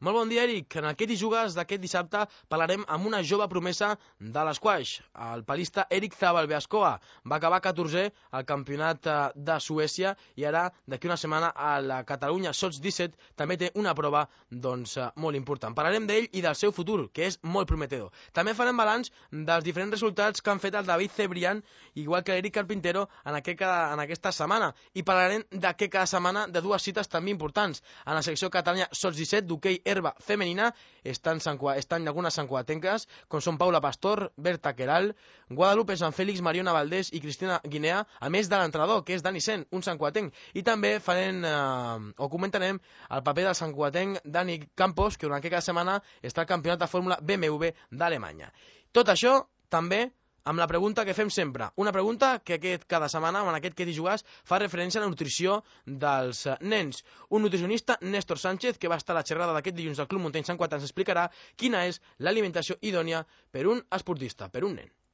Molt bon dia, Eric. En aquest Hi Jugues d'aquest dissabte parlarem amb una jove promesa de l'esquaix. El palista Eric Zabalbeascoa va acabar 14è al campionat de Suècia i ara, d'aquí una setmana, a la Catalunya Sots 17 també té una prova molt important. Parlarem d'ell i del seu futur, que és molt prometedor. També farem balanç dels diferents resultats que han fet el David Cebrián, igual que l'Eric Carpintero, en aquesta setmana. I parlarem d'aquí cada setmana de dues cites també importants. En la secció Catalunya Sots 17 d'hoquei herba femenina estan algunes santcugatenques, com són Paula Pastor, Berta Queralt, Guadalupe San Félix, Mariona Valdés i Cristina Guinea, a més de l'entrenador, que és Dani Sen, un santcugatenc. I també comentarem el paper del santcugatenc Dani Campos, que durant aquesta setmana està al campionat de Fórmula BMW d'Alemanya. Tot això també amb la pregunta que fem sempre. Una pregunta que cada setmana, en aquest Hi Jugues, fa referència a la nutrició dels nens. Un nutricionista, Néstor Sánchez, que va estar a la xerrada d'aquest dilluns al Club Muntany Sant Cugat, ens explicarà quina és l'alimentació idònia per un esportista, per un nen.